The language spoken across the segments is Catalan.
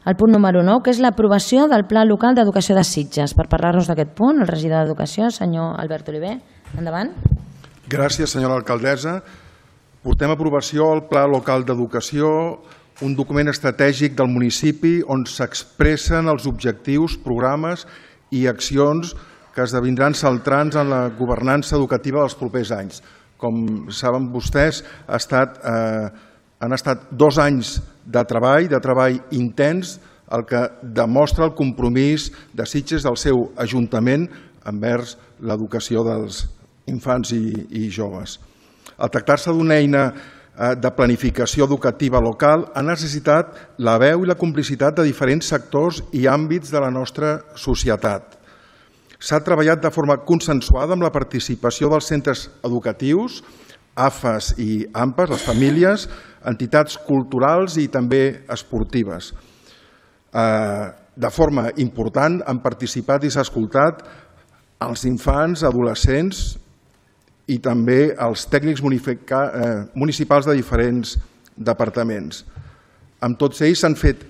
el punt número 9, que és l'aprovació del Pla Local d'Educació de Sitges. Per parlar-nos d'aquest punt, el regidor d'Educació, senyor Albert Oliver. Endavant. Gràcies, senyora alcaldessa. Portem a aprovació el Pla Local d'Educació, un document estratègic del municipi on s'expressen els objectius, programes i accions que esdevindran centrants en la governança educativa dels propers anys. Com saben vostès, han estat 2 anys de treball intens, el que demostra el compromís de Sitges del seu ajuntament envers l'educació dels infants i joves. Al tractar-se d'una eina de planificació educativa local, ha necessitat la veu i la complicitat de diferents sectors i àmbits de la nostra societat. S'ha treballat de forma consensuada amb la participació dels centres educatius, AFAS i AMPAs, les famílies, entitats culturals i també esportives. De forma important han participat i s'ha escoltat els infants, adolescents i també els tècnics municipals de diferents departaments. Amb tots ells s'han fet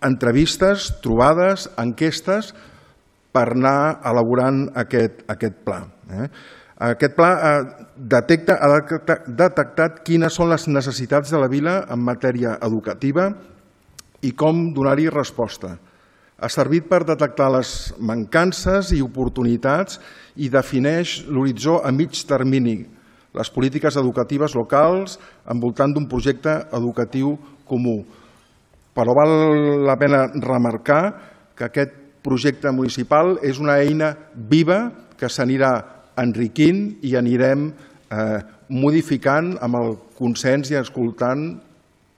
entrevistes, trobades, enquestes per anar elaborant aquest pla. Aquest pla ha detectat quines són les necessitats de la vila en matèria educativa i com donar-hi resposta. Ha servit per detectar les mancances i oportunitats i defineix l'horitzó a mig termini, les polítiques educatives locals envoltant d'un projecte educatiu comú. Però val la pena remarcar que aquest projecte municipal és una eina viva que s'anirà enriquint i anirem modificant amb el consens i escoltant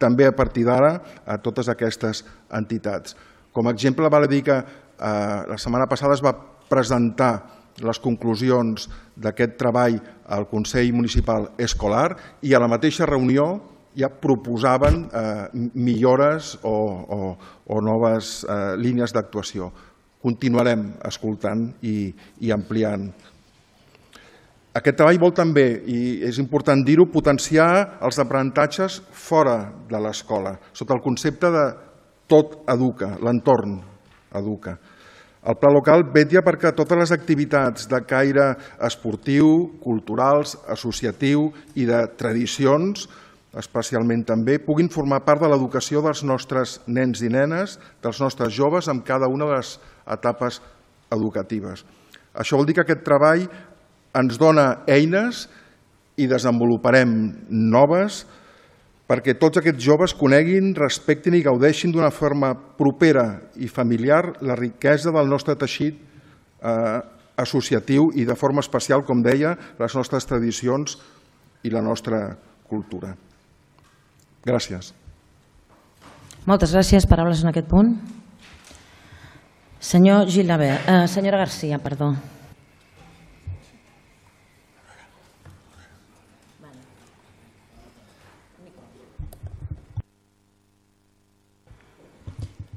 també a partir d'ara a totes aquestes entitats. Com a exemple, val a dir que la setmana passada es va presentar les conclusions d'aquest treball al Consell Municipal Escolar i a la mateixa reunió ja proposaven millores o noves línies d'actuació. Continuarem escoltant i ampliant. Aquest treball vol també, i és important dir-ho, potenciar els aprenentatges fora de l'escola, sota el concepte de tot educa, l'entorn educa. El pla local vetlla perquè totes les activitats de caire esportiu, culturals, associatiu i de tradicions, especialment també, puguin formar part de l'educació dels nostres nens i nenes, dels nostres joves, en cada una de les etapes educatives. Això vol dir que aquest treball ens dona eines i desenvoluparem noves perquè tots aquests joves coneguin, respectin i gaudeixin d'una forma propera i familiar la riquesa del nostre teixit associatiu i de forma especial, com deia, les nostres tradicions i la nostra cultura. Gràcies. Moltes gràcies. Paraules en aquest punt. Senyora Garcia, perdó.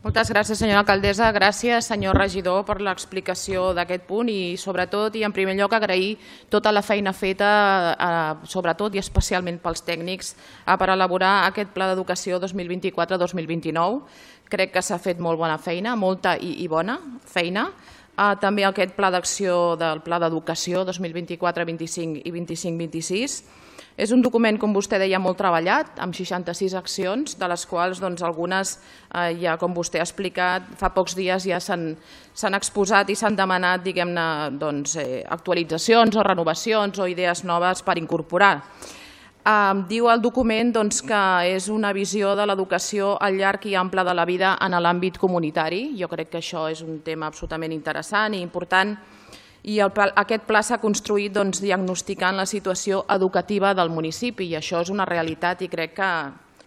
Moltes gràcies, senyora alcaldessa. Gràcies, senyor regidor, per l'explicació d'aquest punt i, sobretot, i en primer lloc, agrair tota la feina feta, sobretot i especialment pels tècnics, per elaborar aquest Pla d'Educació 2024-2029. Crec que s'ha fet molt bona feina, molta i bona feina. També aquest Pla d'Acció del Pla d'Educació 2024-25 i 25-26. És un document, com vostè deia, molt treballat, amb 66 accions, de les quals algunes, ja com vostè ha explicat, fa pocs dies ja s'han exposat i s'han demanat, diguem-ne, actualitzacions o renovacions o idees noves per incorporar. Diu el document que és una visió de l'educació al llarg i ample de la vida en l'àmbit comunitari. Jo crec que això és un tema absolutament interessant i important. I aquest pla s'ha construït diagnosticant la situació educativa del municipi i això és una realitat i crec que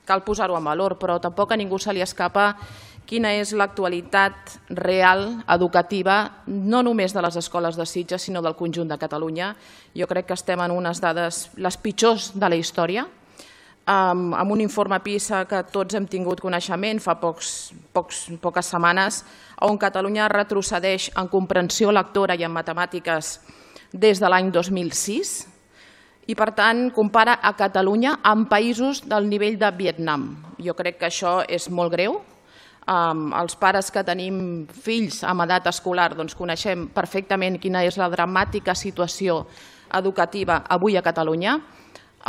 cal posar-ho en valor, però tampoc a ningú se li escapa quina és l'actualitat real educativa, no només de les escoles de Sitges, sinó del conjunt de Catalunya. Jo crec que estem en unes dades les pitjors de la història, amb un informe PISA que tots hem tingut coneixement fa poques setmanes, on Catalunya retrocedeix en comprensió lectora i en matemàtiques des de l'any 2006 i, per tant, compara a Catalunya amb països del nivell de Vietnam. Jo crec que això és molt greu. els pares que tenim fills amb edat escolar coneixem perfectament quina és la dramàtica situació educativa avui a Catalunya.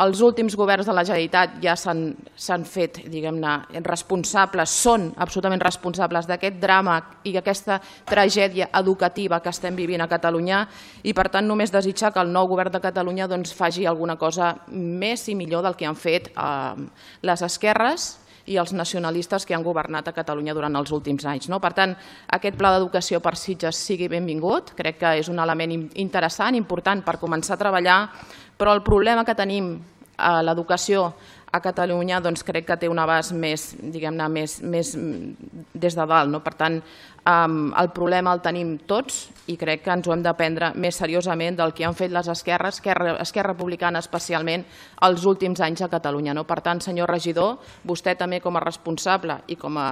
Els últims governs de la Generalitat ja s'han fet, diguem-ne, responsables, són absolutament responsables d'aquest drama i aquesta tragèdia educativa que estem vivint a Catalunya i, per tant, només desitjar que el nou govern de Catalunya faci alguna cosa més i millor del que han fet les esquerres i els nacionalistes que han governat a Catalunya durant els últims anys. Per tant, aquest pla d'educació per Sitges sigui benvingut, crec que és un element interessant, important per començar a treballar, però el problema que tenim a l'educació a Catalunya crec que té un abast més, diguem-ne, més des de dalt. Per tant, el problema el tenim tots i crec que ens ho hem de prendre més seriosament del que han fet les esquerres, Esquerra Republicana especialment, els últims anys a Catalunya. Per tant, senyor regidor, vostè també com a responsable i com a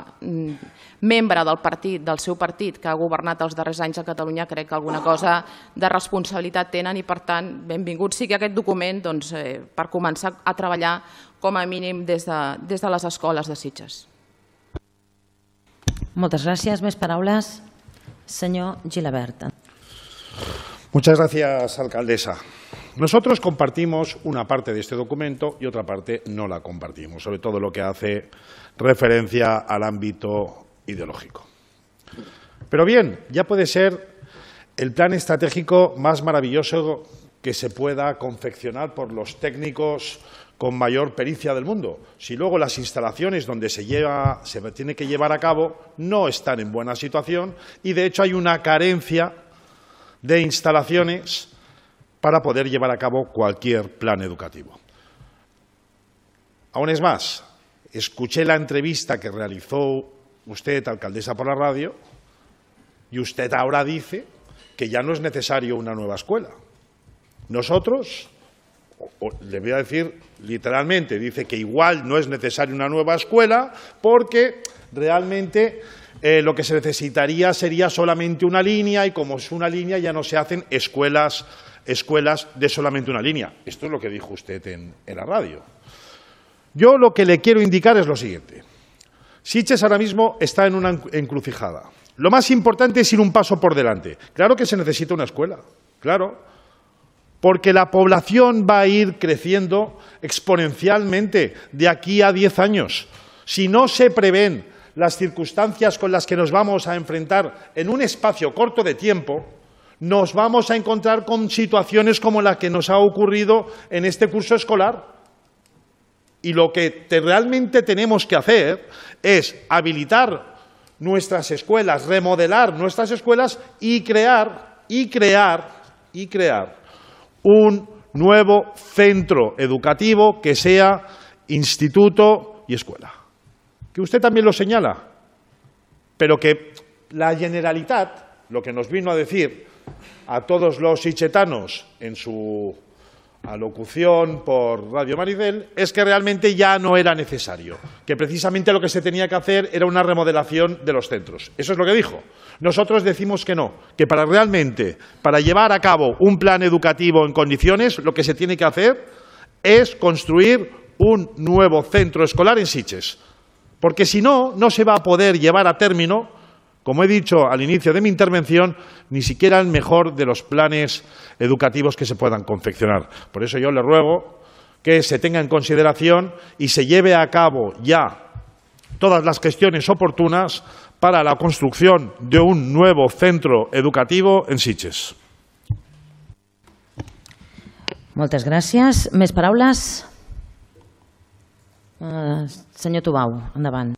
membre del seu partit que ha governat els darrers anys a Catalunya, crec que alguna cosa de responsabilitat tenen i, per tant, benvingut sigui aquest document per començar a treballar com a mínim des de les escoles de Sitges. Moltes gràcies. Més paraules. Señor Gilabert. Muchas gracias, alcaldesa. Nosotros compartimos una parte de este documento y otra parte no la compartimos, sobre todo lo que hace referencia al ámbito ideológico. Pero bien, ya puede ser el plan estratégico más maravilloso que se pueda confeccionar por los técnicos con mayor pericia del mundo. Si luego las instalaciones donde se tiene que llevar a cabo no están en buena situación y, de hecho, hay una carencia de instalaciones para poder llevar a cabo cualquier plan educativo. Aún es más, escuché la entrevista que realizó usted, alcaldesa, por la radio, y usted ahora dice que ya no es necesario una nueva escuela. Nosotros, le voy a decir literalmente, dice que igual no es necesaria una nueva escuela porque realmente lo que se necesitaría sería solamente una línea y como es una línea ya no se hacen escuelas de solamente una línea. Esto es lo que dijo usted en la radio. Yo lo que le quiero indicar es lo siguiente. Sitges ahora mismo está en una encrucijada. Lo más importante es ir un paso por delante. Claro que se necesita una escuela, claro, porque la población va a ir creciendo exponencialmente de aquí a 10 años. Si no se prevén las circunstancias con las que nos vamos a enfrentar en un espacio corto de tiempo, nos vamos a encontrar con situaciones como la que nos ha ocurrido en este curso escolar. Y lo que realmente tenemos que hacer es habilitar nuestras escuelas, remodelar nuestras escuelas y crear un nuevo centro educativo que sea instituto y escuela. Que usted también lo señala, pero que la Generalitat, lo que nos vino a decir a todos los sitgetanos en su alocución por Radio Maricel, es que realmente ya no era necesario, que precisamente lo que se tenía que hacer era una remodelación de los centros. Eso es lo que dijo. Nosotros decimos que no, que para llevar a cabo un plan educativo en condiciones, lo que se tiene que hacer es construir un nuevo centro escolar en Sitges, porque si no, no se va a poder llevar a término, como he dicho al inicio de mi intervención, ni siquiera el mejor de los planes educativos que se puedan confeccionar. Por eso yo le ruego que se tenga en consideración y se lleve a cabo ya todas las gestiones oportunas para la construcción de un nuevo centro educativo en Sitges. Moltes gràcies. Més paraules? Senyor Tubau, endavant.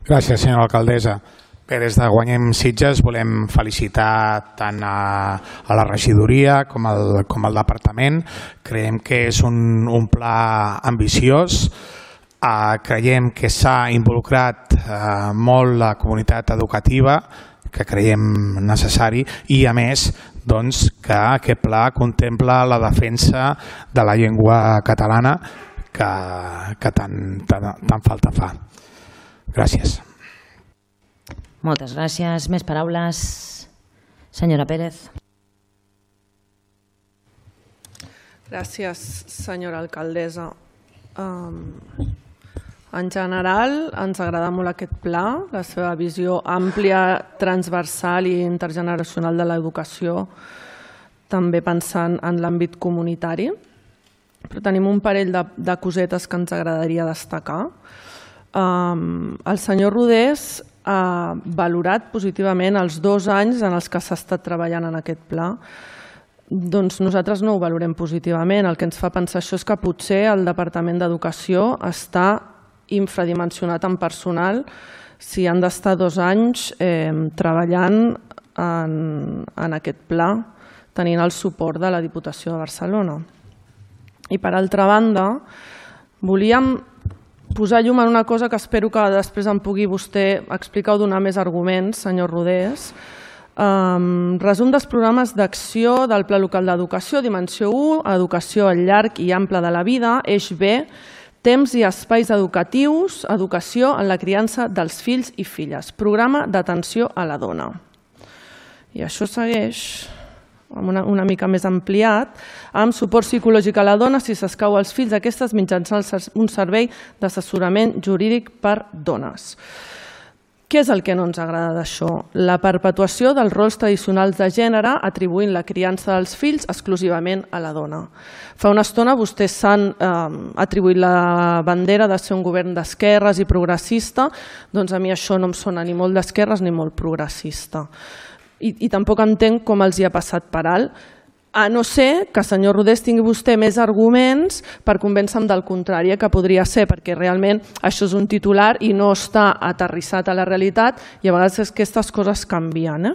Gràcies, senyora alcaldessa. Bé, des de Guanyem Sitges volem felicitar tant a la regidoria com al departament. Creiem que és un pla ambiciós. Creiem que s'ha involucrat molt la comunitat educativa, que creiem necessari, i a més que aquest pla contempla la defensa de la llengua catalana que tant falta fa. Gràcies. Moltes gràcies. Més paraules? Senyora Pérez. Gràcies, senyora alcaldessa. En general, ens agrada molt aquest pla, la seva visió àmplia, transversal i intergeneracional de l'educació, també pensant en l'àmbit comunitari. Però tenim un parell de cosetes que ens agradaria destacar. El senyor Rodés ha valorat positivament els 2 anys en els que s'ha estat treballant en aquest pla. Doncs nosaltres no ho valorem positivament. El que ens fa pensar això és que potser el Departament d'Educació està infradimensionat en personal si han d'estar 2 anys treballant en aquest pla, tenint el suport de la Diputació de Barcelona. I per altra banda, volíem posar llum en una cosa que espero que després em pugui vostè explicar o donar més arguments, senyor Rodés. Resum dels programes d'acció del Pla Local d'Educació, Dimensió 1, Educació al llarg i ample de la vida, eix B, temps i espais educatius, educació en la criança dels fills i filles, programa d'atenció a la dona. I això segueix una mica més ampliat, amb suport psicològic a la dona si s'escau als fills aquestes mitjançant un servei d'assessorament jurídic per dones. Què és el que no ens agrada d'això? La perpetuació dels rols tradicionals de gènere atribuint la criança dels fills exclusivament a la dona. Fa una estona vostès s'han atribuït la bandera de ser un govern d'esquerres i progressista, doncs a mi això no em sona ni molt d'esquerres ni molt progressista. I tampoc entenc com els hi ha passat per alt, a no ser que, senyor Rodés, tingui vostè més arguments per convèncer-me del contrari, que podria ser, perquè realment això és un titular i no està aterrissat a la realitat i a vegades aquestes coses canvien.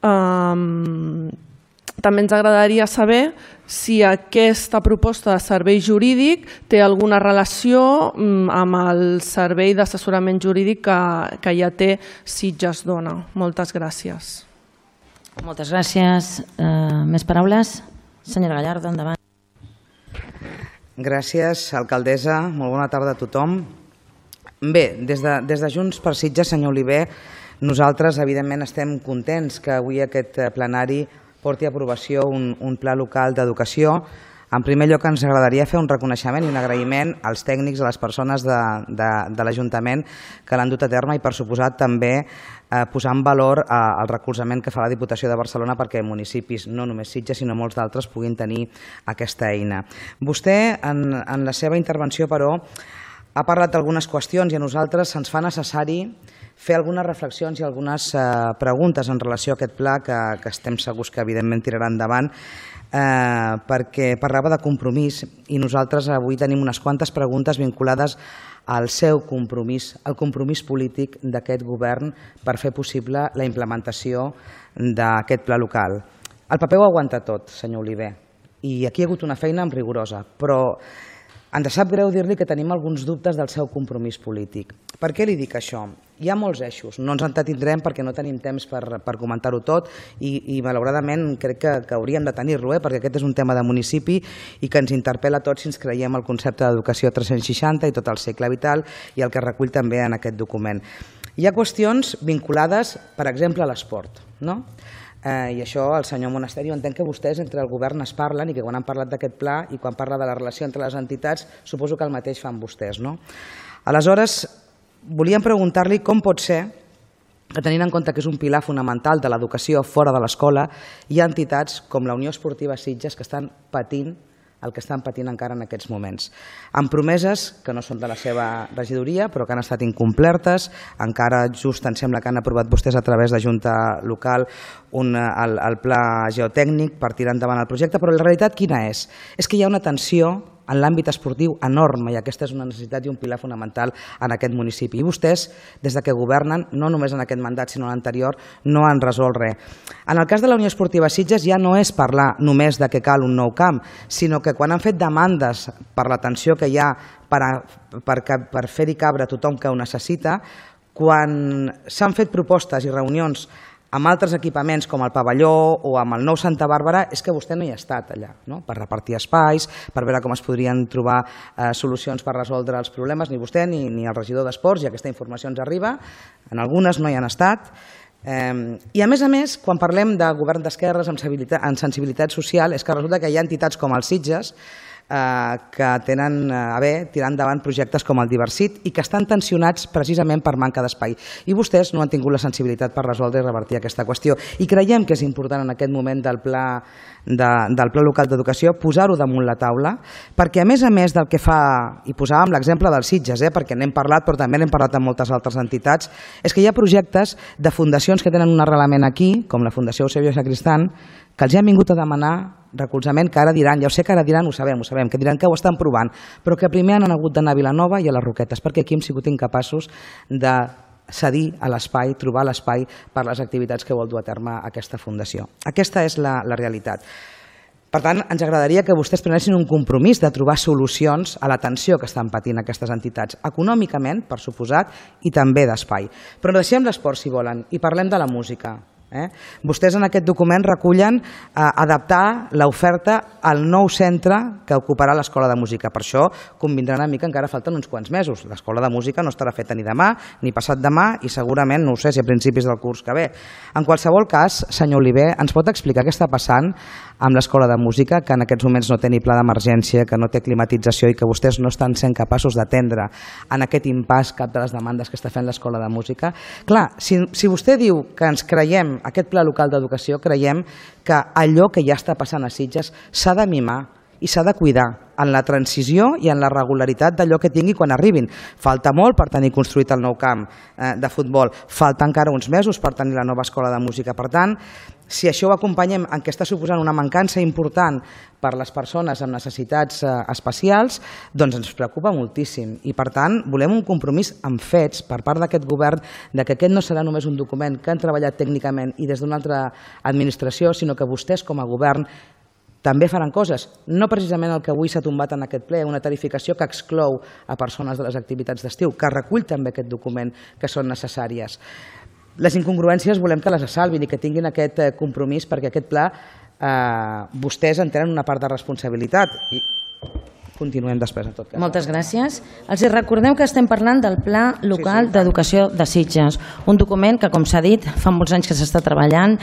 També ens agradaria saber si aquesta proposta de servei jurídic té alguna relació amb el servei d'assessorament jurídic que ja té Sitges Dona. Moltes gràcies. Moltes gràcies. Més paraules? Senyora Gallardo, endavant. Gràcies, alcaldessa. Molt bona tarda a tothom. Bé, des de Junts per Sitges, senyor Oliver, nosaltres evidentment estem contents que avui aquest plenari porti a aprovació un pla local d'educació. En primer lloc, ens agradaria fer un reconeixement i un agraïment als tècnics, a les persones de l'Ajuntament que l'han dut a terme i, per suposat, també posar en valor el recolzament que fa la Diputació de Barcelona perquè municipis, no només Sitges, sinó molts d'altres, puguin tenir aquesta eina. Vostè, en la seva intervenció, però, ha parlat d'algunes qüestions i a nosaltres se'ns fa necessari fer algunes reflexions i algunes preguntes en relació a aquest pla que estem segurs que evidentment tirarà endavant, perquè parlava de compromís i nosaltres avui tenim unes quantes preguntes vinculades al seu compromís, al compromís polític d'aquest govern per fer possible la implementació d'aquest pla local. El paper ho aguanta tot, senyor Oliver, i aquí hi ha hagut una feina rigorosa, però ens sap greu dir-li que tenim alguns dubtes del seu compromís polític. Per què li dic això? Hi ha molts eixos, no ens entretindrem perquè no tenim temps per comentar-ho tot i malauradament crec que hauríem de tenir-lo, perquè aquest és un tema de municipi i que ens interpel·la a tots si ens creiem el concepte d'educació 360 i tot el cicle vital i el que recull també en aquest document. Hi ha qüestions vinculades, per exemple, a l'esport, no? I això el senyor Monasteri, jo entenc que vostès entre el govern es parlen i que quan han parlat d'aquest pla i quan parla de la relació entre les entitats suposo que el mateix fan vostès, no? Aleshores, volíem preguntar-li com pot ser que tenint en compte que és un pilar fonamental de l'educació fora de l'escola hi ha entitats com la Unió Esportiva Sitges que estan patint el que estan patint encara en aquests moments. Amb promeses que no són de la seva regidoria, però que han estat incomplertes, encara just em sembla que han aprovat vostès a través de Junta Local el pla geotècnic per tirar endavant el projecte, però la realitat quina és? És que hi ha una tensió en l'àmbit esportiu enorme i aquesta és una necessitat i un pilar fonamental en aquest municipi. I vostès, des que governen, no només en aquest mandat sinó en l'anterior, no han resolt res. En el cas de la Unió Esportiva Sitges ja no és parlar només de que cal un nou camp, sinó que quan han fet demandes per l'atenció que hi ha per fer-hi cabre tothom que ho necessita, quan s'han fet propostes i reunions amb altres equipaments com el pavelló o amb el nou Santa Bàrbara, és que vostè no hi ha estat allà, per repartir espais, per veure com es podrien trobar solucions per resoldre els problemes, ni vostè ni el regidor d'Esports, i aquesta informació ens arriba, en algunes no hi han estat. I a més, quan parlem de govern d'esquerres amb sensibilitat social, és que resulta que hi ha entitats com el Sitges que tenen a bé tirar endavant projectes com el Diversit i que estan tensionats precisament per manca d'espai. I vostès no han tingut la sensibilitat per resoldre i revertir aquesta qüestió. I creiem que és important en aquest moment del pla local d'educació posar-ho damunt la taula, perquè a més del que fa, i posàvem l'exemple dels Sitges, perquè n'hem parlat però també n'hem parlat amb moltes altres entitats, és que hi ha projectes de fundacions que tenen un arrelament aquí, com la Fundació Eusebio Sacristán, que els han vingut a demanar recolzament, que ara diran, ja ho sé que ara diran, ho sabem, que diran que ho estan provant, però que primer han hagut d'anar a Vilanova i a les Roquetes, perquè aquí hem sigut incapaços de cedir a l'espai, trobar l'espai per les activitats que vol dur a terme aquesta fundació. Aquesta és la realitat. Per tant, ens agradaria que vostès prenessin un compromís de trobar solucions a la tensió que estan patint aquestes entitats, econòmicament, per suposat, i també d'espai. Però deixem l'esport, si volen, i parlem de la música. Vostès en aquest document recullen adaptar l'oferta al nou centre que ocuparà l'Escola de Música. Per això convindran a mi que encara falten uns quants mesos. L'Escola de Música no estarà feta ni demà ni passat demà i segurament, no ho sé, si a principis del curs que ve. En qualsevol cas, senyor Oliver, ens pot explicar què està passant amb l'Escola de Música, que en aquests moments no té ni pla d'emergència, que no té climatització i que vostès no estan sent capaços d'atendre en aquest impàs cap de les demandes que està fent l'Escola de Música? Clar, si vostè diu que ens creiem aquest pla local d'educació, creiem que allò que ja està passant a Sitges s'ha de mimar i s'ha de cuidar en la transició i en la regularitat d'allò que tingui quan arribin. Falta molt per tenir construït el nou camp de futbol, falta encara uns mesos per tenir la nova escola de música. Per tant, si això ho acompanyem en què està suposant una mancança important per les persones amb necessitats especials, doncs ens preocupa moltíssim. I per tant, volem un compromís amb fets per part d'aquest govern de que aquest no serà només un document que han treballat tècnicament i des d'una altra administració, sinó que vostès com a govern també faran coses, no precisament el que avui s'ha tombat en aquest ple, una tarificació que exclou a persones de les activitats d'estiu, que recull també aquest document, que són necessàries. Les incongruències volem que les salvin i que tinguin aquest compromís, perquè aquest pla vostès en tenen una part de responsabilitat. I continuem després, en tot cas. Moltes gràcies. Els recordeu que estem parlant del Pla Local d'Educació de Sitges, un document que, com s'ha dit, fa molts anys que s'està treballant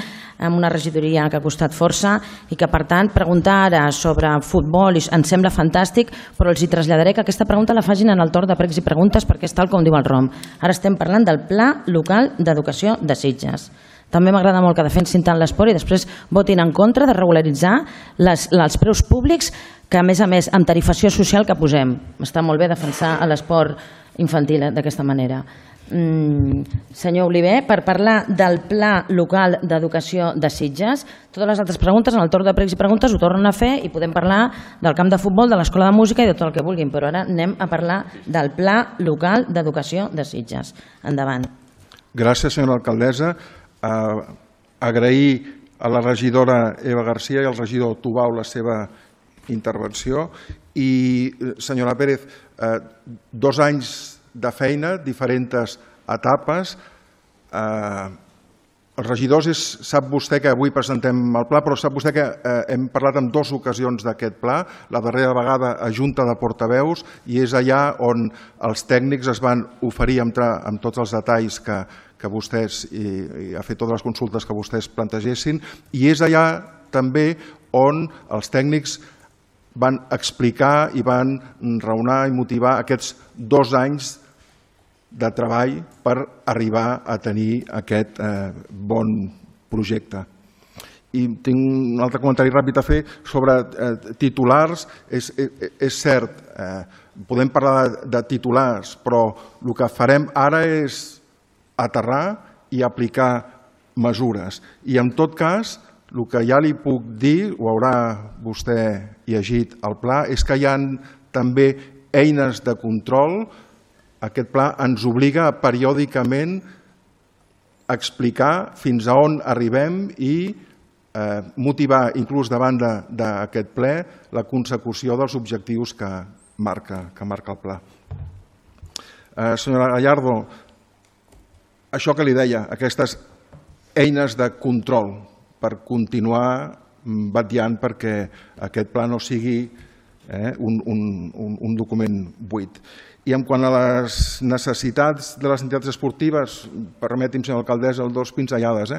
amb una regidoria que ha costat força i que, per tant, preguntar ara sobre futbol ens sembla fantàstic, però els hi traslladaré que aquesta pregunta la facin en el torn de pregs i preguntes perquè és tal com diu el ROM. Ara estem parlant del Pla Local d'Educació de Sitges. També m'agrada molt que defensin tant l'esport i després votin en contra de regularitzar els preus públics que, a més, amb tarifació social que posem. Està molt bé defensar l'esport infantil d'aquesta manera. Senyor Oliver, per parlar del Pla Local d'Educació de Sitges, totes les altres preguntes en el torn de pregs i preguntes ho tornen a fer i podem parlar del camp de futbol, de l'Escola de Música i de tot el que vulguin, però ara anem a parlar del Pla Local d'Educació de Sitges. Endavant. Gràcies, senyora alcaldessa. Agrair a la regidora Eva García i al regidor Tubau la seva intervenció i, senyora Pérez, 2 anys de feina, diferents etapes. Els regidors, sap vostè que avui presentem el pla, però sap vostè que hem parlat en 2 ocasions d'aquest pla, la darrera vegada a Junta de Portaveus, i és allà on els tècnics es van oferir a entrar amb tots els detalls que vostès, i a fer totes les consultes que vostès plantegessin, i és allà també on els tècnics van explicar i van raonar i motivar aquests 2 anys de treball per arribar a tenir aquest bon projecte. I tinc un altre comentari ràpid a fer sobre titulars. És cert, podem parlar de titulars, però el que farem ara és aterrar i aplicar mesures. I en tot cas, el que ja li puc dir, ho haurà vostè llegit al pla, és que hi ha també eines de control. Aquest pla ens obliga a periòdicament a explicar fins a on arribem i motivar, inclús davant d'aquest ple, la consecució dels objectius que marca el pla. Senyora Gallardo, això que li deia, aquestes eines de control per continuar vetllant perquè aquest pla no sigui un document buit. I en quant a les necessitats de les entitats esportives, permeti'm, senyora alcaldessa, 2 pinzellades.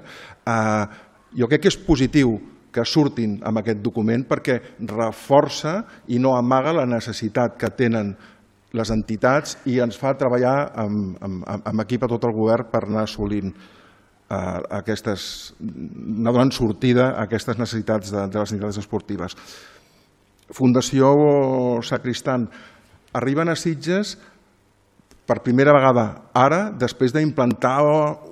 Jo crec que és positiu que surtin amb aquest document perquè reforça i no amaga la necessitat que tenen les entitats i ens fa treballar amb equip a tot el govern per anar assolint anar donant sortida a aquestes necessitats de les entitats esportives. Fundació Sacristan, arriben a Sitges per primera vegada ara, després d'implantar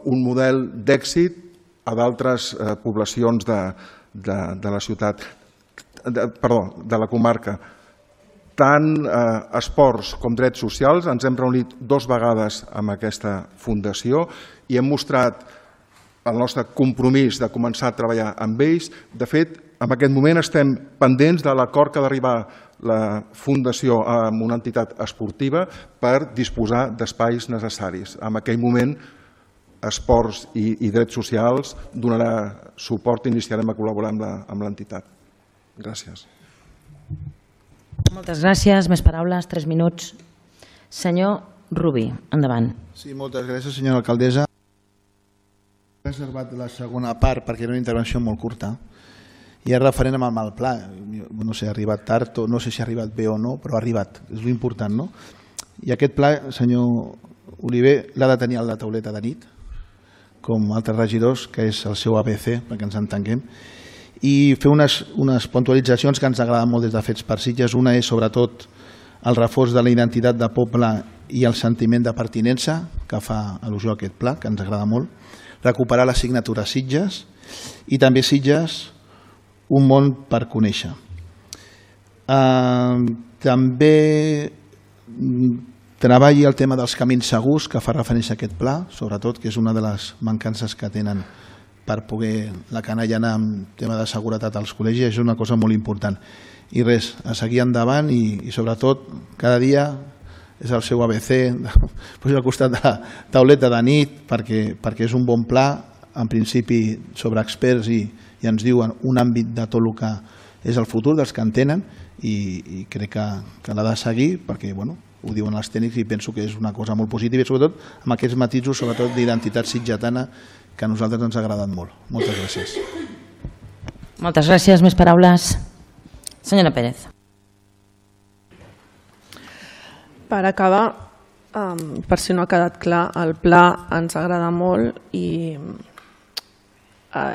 un model d'èxit a d'altres poblacions de la ciutat, de la comarca. Tant esports com drets socials, ens hem reunit 2 vegades amb aquesta fundació i hem mostrat el nostre compromís de començar a treballar amb ells. De fet, en aquest moment estem pendents de l'acord que ha d'arribar la fundació amb una entitat esportiva per disposar d'espais necessaris. En aquell moment, Esports i Drets Socials donarà suport i iniciarem a col·laborar amb l'entitat. Gràcies. Moltes gràcies. Més paraules, 3 minuts. Senyor Rubí, endavant. Sí, moltes gràcies, senyora alcaldessa. He reservat la segona part perquè era una intervenció molt curta i és referent amb el pla. No sé, ha arribat tard, no sé si ha arribat bé o no, però ha arribat, és l'important, no? I aquest pla, senyor Oliver, l'ha de tenir a la tauleta de nit, com altres regidors, que és el seu ABC, perquè ens entenguem, i fer unes puntualitzacions que ens agraden molt des de Fets per Sitges. Una és, sobretot, el reforç de la identitat de poble i el sentiment de pertinença, que fa al·lusió a aquest pla, que ens agrada molt. Recuperar la signatura Sitges i també Sitges, un món per conèixer. També treballi el tema dels camins segurs, que fa referència a aquest pla, sobretot, que és una de les mancances que tenen per poder la canalla anar amb tema de seguretat als col·legis, és una cosa molt important. I res, a seguir endavant i sobretot, cada dia és el seu ABC, posi al costat de la tauleta de nit, perquè és un bon pla, en principi sobre experts i ens diuen un àmbit de tot el que és el futur dels que en tenen i crec que l'ha de seguir perquè, bueno, ho diuen els tècnics i penso que és una cosa molt positiva i sobretot amb aquests matisos, sobretot d'identitat sitgetana, que a nosaltres ens ha agradat molt. Moltes gràcies. Moltes gràcies. Més paraules. Senyora Pérez. Per acabar, per si no ha quedat clar, el pla ens agrada molt i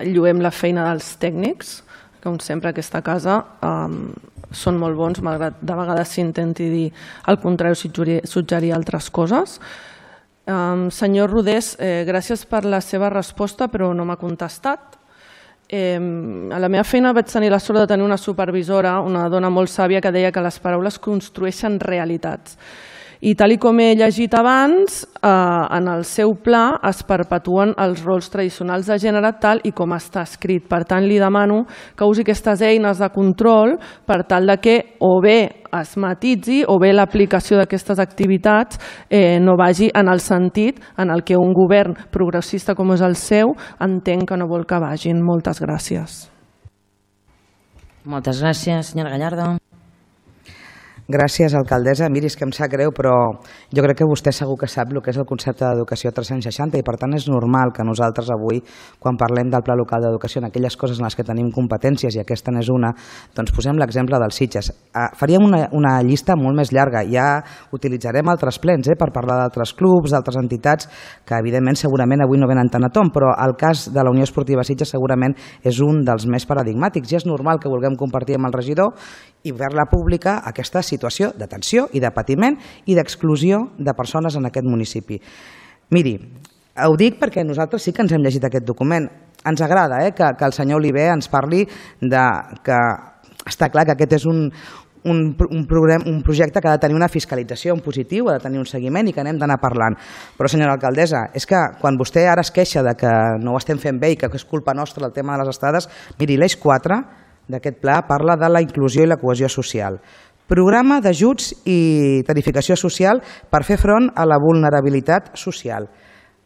lloem la feina dels tècnics, que com sempre aquesta casa són molt bons, malgrat de vegades s'intenti dir el contrari o suggerir altres coses. Senyor Rodés, gràcies per la seva resposta, però no m'ha contestat. A la meva feina vaig tenir la sort de tenir una supervisora, una dona molt sàvia, que deia que les paraules construeixen realitats. I tal com he llegit abans, en el seu pla es perpetuen els rols tradicionals de gènere tal i com està escrit. Per tant, li demano que usi aquestes eines de control per tal de que o bé es matitzi o bé l'aplicació d'aquestes activitats no vagi en el sentit en el que un govern progressista com és el seu entenc que no vol que vagin. Moltes gràcies. Moltes gràcies, senyora Gallardo. Gràcies, alcaldessa. Miri, és que em sap greu, però jo crec que vostè segur que sap el que és el concepte d'educació 360 i per tant és normal que nosaltres avui, quan parlem del Pla Local d'Educació, en aquelles coses en les que tenim competències i aquesta n'és una, doncs posem l'exemple dels Sitges. Faríem una llista molt més llarga, ja utilitzarem altres plens per parlar d'altres clubs, d'altres entitats que evidentment segurament avui no venen tant a tom, però el cas de la Unió Esportiva Sitges segurament és un dels més paradigmàtics i és normal que vulguem compartir amb el regidor i fer-la pública aquesta situació de tensió i de patiment i d'exclusió de persones en aquest municipi. Miri, ho dic perquè nosaltres sí que ens hem llegit aquest document. Ens agrada que el senyor Oliver ens parli que està clar que aquest és un projecte que ha de tenir una fiscalització en positiu, ha de tenir un seguiment i que n'hem d'anar parlant. Però, senyora alcaldessa, és que quan vostè ara es queixa de que no ho estem fent bé i que és culpa nostra el tema de les estades, miri, l'eix 4 d'aquest pla parla de la inclusió i la cohesió social. Programa d'ajuts i tarificació social per fer front a la vulnerabilitat social.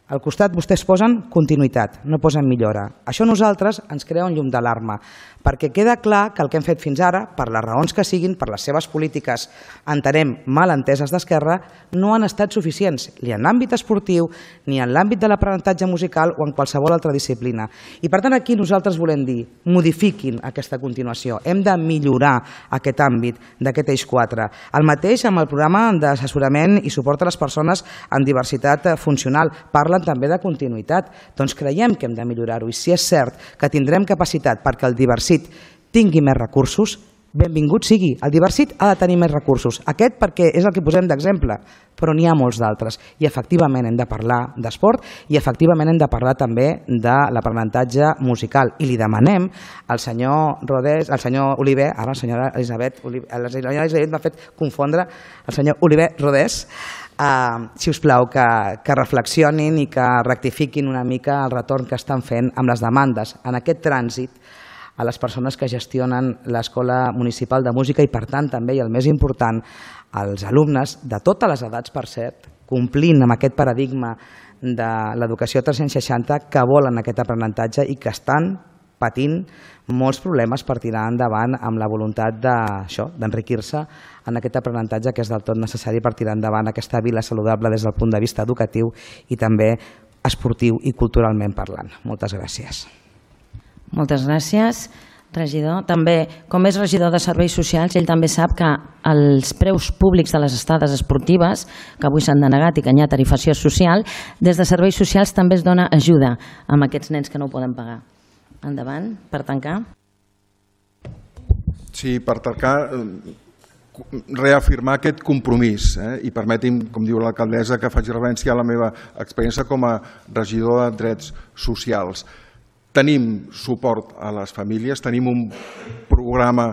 Al costat vostès posen continuïtat, no posen millora. Això a nosaltres ens crea un llum d'alarma, perquè queda clar que el que hem fet fins ara, per les raons que siguin, per les seves polítiques, entenem, mal enteses d'Esquerra, no han estat suficients, ni en l'àmbit esportiu, ni en l'àmbit de l'aprenentatge musical o en qualsevol altra disciplina. I per tant aquí nosaltres volem dir, modifiquin aquesta continuació, hem de millorar aquest àmbit d'aquest eix 4. El mateix amb el programa d'assessorament i suport a les persones amb diversitat funcional, parlen també de continuïtat. Doncs creiem que hem de millorar-ho i si és cert que tindrem capacitat perquè el Diversit tingui més recursos, benvingut sigui. El Diversit ha de tenir més recursos. Aquest perquè és el que posem d'exemple, però n'hi ha molts d'altres. I efectivament hem de parlar d'esport i efectivament hem de parlar també de l'aprenentatge musical. I li demanem al senyor Rodés, al senyor Oliver, ara la senyora Elisabet m'ha fet confondre, el senyor Oliver Rodés, si us plau, que reflexionin i que rectifiquin una mica el retorn que estan fent amb les demandes en aquest trànsit a les persones que gestionen l'Escola Municipal de Música i, per tant, també, i el més important, als alumnes de totes les edats, per cert, complint amb aquest paradigma de l'educació 360 que volen aquest aprenentatge i que estan patint molts problemes per tirar endavant amb la voluntat d'enriquir-se en aquest aprenentatge que és del tot necessari per tirar endavant aquesta vila saludable des del punt de vista educatiu i també esportiu i culturalment parlant. Moltes gràcies. Moltes gràcies, regidor. També, com és regidor de Serveis Socials, ell també sap que els preus públics de les estades esportives, que avui s'han denegat i que hi ha tarifació social, des de Serveis Socials també es dona ajuda a aquests nens que no ho poden pagar. Endavant, per tancar. Sí, per tancar, reafirmar aquest compromís i permeti'm, com diu l'alcaldessa, que faci referència a la meva experiència com a regidor de drets socials. Tenim suport a les famílies, tenim un programa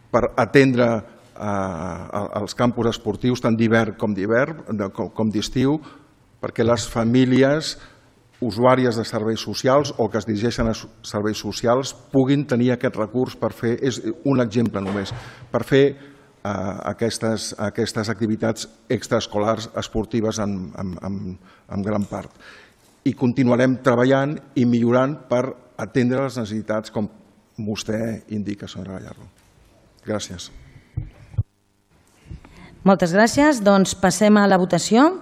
per atendre els campus esportius tant d'hivern com d'estiu, perquè les famílies usuàries de serveis socials o que es dirigeixen a serveis socials puguin tenir aquest recurs per fer, és un exemple només, per fer aquestes activitats extraescolars esportives en gran part. I continuarem treballant i millorant per atendre les necessitats com vostè indica, senyora Gallardo. Gràcies. Moltes gràcies. Doncs passem a la votació.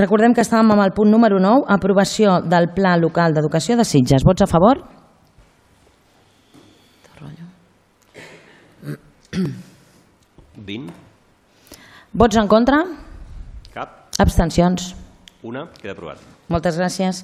Recordem que estàvem amb el punt número 9, aprovació del Pla Local d'Educació de Sitges. Vots a favor? 20. Vots en contra? Cap. Abstencions? Una. Queda aprovat. Moltes gràcies.